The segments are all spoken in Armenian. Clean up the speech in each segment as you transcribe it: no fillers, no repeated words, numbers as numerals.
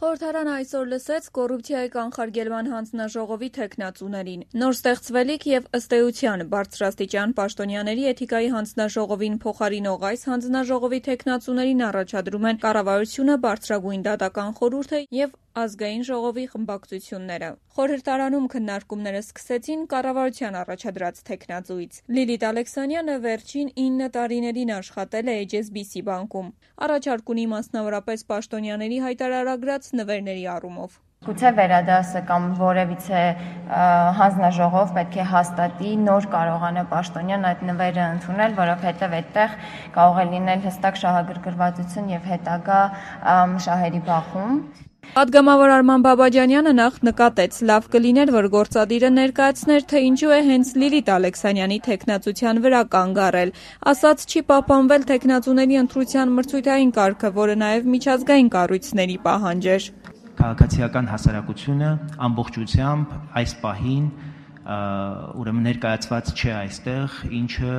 Խորհրդարանը այսօր լսեց կոռուպցիայի կանխարգելման հանձնաժողովի թեկնածուներին։ Նոր ստեղծվելիք եւ ըստ էության բարձրաստիճան պաշտոնյաների էթիկայի հանձնաժողովին փոխարինող այս հանձնաժողովի թեկնածուներին առաջադրում են կառավարությունը, բարձրագույն դատական խորհուրդը եւ ազգային ժողովի խմբակցությունները։ Խորհրդարանում քննարկումները սկսեցին կառավարության առաջադրած թեկնածուից։ Լիլիթ Ալեքսանյանը վերջին 9 տարիներին աշխատել է HSBC բանկում։ Առաջարկ ունի մասնավորապես պաշտոնյաների հայտարարագրած նվերների առումով։ Գուցե վերադասը կամ որևիցե հանձնաժողով պետք է հաստատի նոր կարողանա պաշտոնյան այդ նվերը ընդունել, որովհետև այդտեղ կարող է լինել հստակ շահագրգռվածություն եւ հետագա շահերի բախում։ Պատգամավոր Արման Բաբաջանյանը նախ նկատեց, լավ կլիներ, որ գործադիրը ներկայացներ, թե ինչու է հենց Լիլիթ Ալեքսանյանի թեկնածության վրա կանգ առել։ Ասաց, չի պահպանվել թեկնածուների ընտրության մրցույթային կարգը, որը նաև միջազգային կառույցների պահանջ էր։ Քաղաքացիական հասարակությունը ամբողջությամբ այս պահին ուրեմն ներկայացված չէ այստեղ, ինչը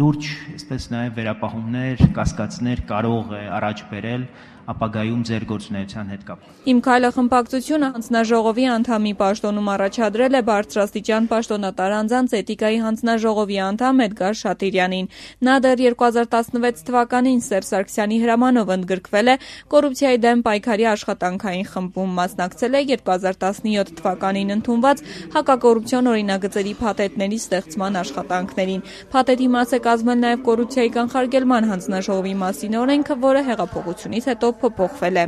լուրջ, այսպես նաև վերապահումներ, կասկածներ կարող է առաջ բերել ապագայում ձեր գործունեության հետ կապ։ Իմ քայլը խմբակցությունը հանձնաժողովի անդամի պաշտոնում առաջադրել է բարձրաստիճան պաշտոնատար անձանց էթիկայի հանձնաժողովի անդամ Էդգար Շատիրյանին։ Նա դեռ 2016 թվականին Սերժ Սարգսյանի հրամանով ընդգրկվել է կոռուպցիայի դեմ պայքարի աշխատանքային խմբում, մասնակցել է 2017 թվականին ընդունված հակակոռուպցիոն օրինագծերի փաթեթների ստեղծման աշխատանքներին։ Փաթեթի մաս է կազմել նաև կոռուպցիայի կանխարգելման հանձնաժողովի մասին օրենքը, որը հեղափոխությունից հետո փոփոխվել է։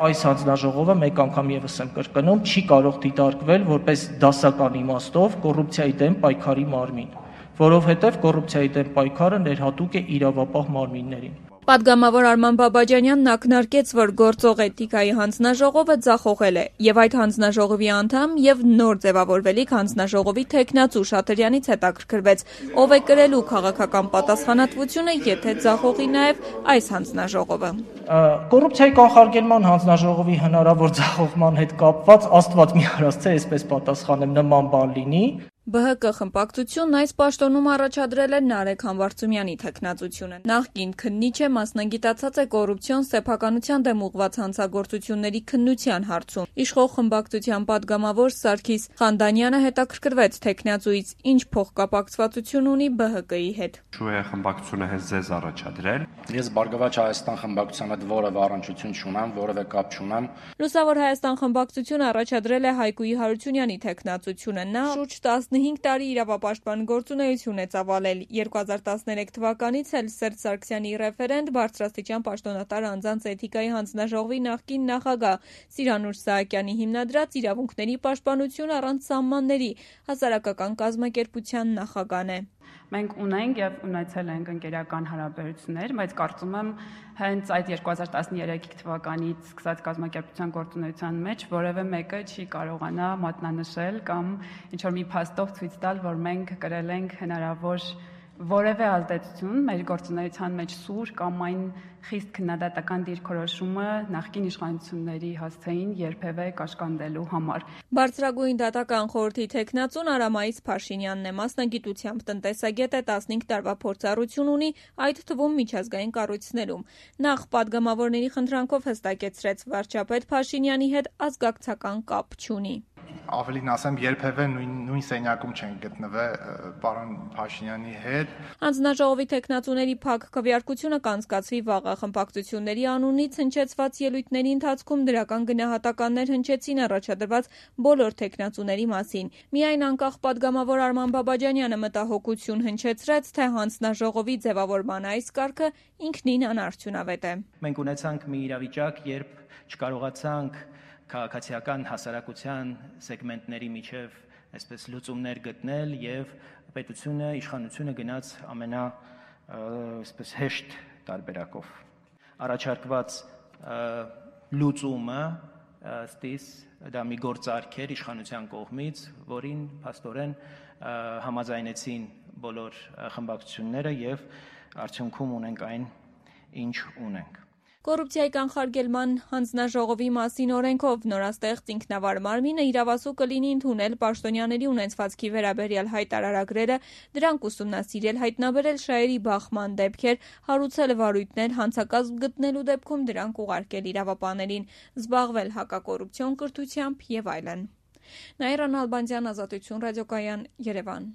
Այս հանձնաժողովը մեկ անգամ եւս եմ կրկնում, չի կարող դիտարկվել որպես դասական իմաստով կոռուպցիայի դեմ պայքարի մարմին, որովհետև կոռուպցիայի դեմ պայքարը ներհատուկ է իրավապահ մարմիններին։ Պատգամավոր Արման Բաբաջանյանն ակնարկեց, որ գործող էթիկայի հանձնաժողովը ձախողել է, եւ այդ հանձնաժողովի անդամ եւ նոր ձևավորվելիք հանձնաժողովի թեկնածու Շատիրյանից հետաքրքրվեց, ով է կրելու քաղաքական պատասխանատվությունը, եթե ձախողի նաեւ այս հանձնաժողովը։ Կոռուպցիայի կանխարգելման հանձնաժողովի հնարավոր ձախողման հետ կապված Աստված մի արած թե այսպես պատասխանեմ նման բան լինի։ ԲՀԿ խմբակցությունն այս պաշտոնում առաջադրել է Նարեկ Համբարձումյանի թեկնածությունը։ Նախկին քննիչը մասնագիտացած է կոռուպցիոն սեփականության դեմ ուղղված հանցագործությունների քննության հարցում։ Իշխող խմբակցության պատգամավոր Սարգիս Խանդանյանը հետաքրքրվեց թեկնածուից, ինչ փոխկապակցվածություն ունի ԲՀԿ-ի հետ։ Շու է խմբակցությունը հենց ձեզ առաջադրել։ Ես Բարգավաճ Հայաստան խմբակցության հետ որևէ առնչություն չունեմ, որևէ կապ չունեմ։ Լուսավոր Հայաստան խմբակցությունը առաջադրել է Հայկուի Հարությունյանի թեկնածությունը։ Նա շուրջ 15 տարի իրավապաշտպան գործունեություն է ծավալել։ 2013 թվականից էլ Սերժ Սարգսյանի ռեֆերենտ բարձրաստիճան պաշտոնատար անձանց էթիկայի հանձնաժողովի նախկին նախագահ Սիրանուշ Սահակյանի հիմնադրած իրավունքների պաշտպանություն առանց սահմանների հասարակական կազմակերպության նախագահն է։ Մենք ունենք եւ ունեցել ենք ընկերական հարաբերություններ, բայց կարծում եմ հենց այդ 2013 թվականից սկսած կազմակերպության գործունեության մեջ որևէ մեկը չի կարողանա մատնանշել կամ ինչ-որ մի փաստով ցույց տալ, որ մենք կրել ենք հնարավոր որևէ ազդեցություն մեր գործունեության մեջ սուր կամ այն խիստ քննադատական դիրքորոշումը նախկին իշխանությունների հասցեին երբևէ կաշկանդելու համար։ Բարձրագույն դատական խորհրդի թեկնածուն Արամայիս Փաշինյանն է, մասնագիտությամբ տնտեսագետ է, 15 տարվա փորձառություն ունի, այդ թվում միջազգային կառույցներում։ Նախ պատգամավորների խնդրանքով հստակեցրեց, վարչապետ Փաշինյանի հետ ազգակցական կապ չունի։ Ավելին ասեմ, երբևէ նույն սենյակում չեն գտնվել պարոն Փաշինյանի հետ։ Հանձնաժողովի թեկնածուների փակ քվեարկությունը կանցկացվի վաղը։ Խմբակցությունների անունից հնչեցված ելույթների ընթացքում դրական գնահատականներ հնչեցին առաջադրված բոլոր թեկնածուների մասին։ Միայն անկախ պատգամավոր Արման Բաբաջանյանը մտահոգություն հնչեցրեց, թե հանձնաժողովի ձևավորման այս կարգը ինքնին անարդյունավետ է։ Մենք ունեցանք մի իրավիճակ, երբ չկարողացանք քաղաքացիական հասարակության սեգմենտների միջև այսպես լուծումներ գտնել եւ պետությունը, իշխանությունը գնաց այսպես հեշտ տարբերակով։ Առաջարկված լուծումը ըստիս դա մի գործարք էր իշխանության կողմից, որին փաստորեն համաձայնեցին բոլոր խմբակցությունները եւ արդյունքում ունենք այն, ինչ ունենք։ Կոռուպցիայի կանխարգելման հանձնաժողովի մասին օրենքով նորաստեղծ ինքնավար մարմինը իրավասու կլինի ընդունել պաշտոնյաների ունեցվածքի վերաբերյալ հայտարարագրերը, դրանք ուսումնասիրել, հայտնաբերել շահերի բախման դեպքեր, հարուցել վարույթներ, հանցակազմ գտնելու դեպքում դրանք ուղարկել իրավապահներին, զբաղվել հակակոռուպցիոն կրթությամբ եւ այլն։ Նաիրա Նալբանդյան, Ազատություն ռադիոկայան, Երևան։